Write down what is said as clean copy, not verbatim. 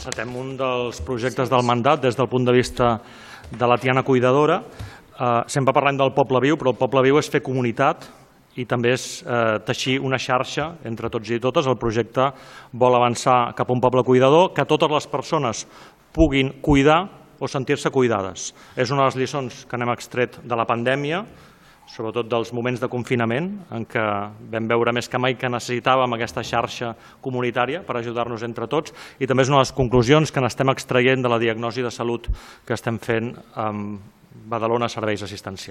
Encetem un dels projectes del mandat des del punt de vista de la Tiana Cuidadora. Sempre parlem del poble viu, però el poble viu és fer comunitat i també és teixir una xarxa entre tots i totes. El projecte vol avançar cap a un poble cuidador, que totes les persones puguin cuidar o sentir-se cuidades. És una de les lliçons que n'hem extret de la pandèmia, sobretot dels moments de confinament, en què vam veure més que mai que necessitàvem aquesta xarxa comunitària per ajudar-nos entre tots, i també és una de les conclusions que n'estem extraient de la diagnosi de salut que estem fent amb Badalona Serveis Assistencials.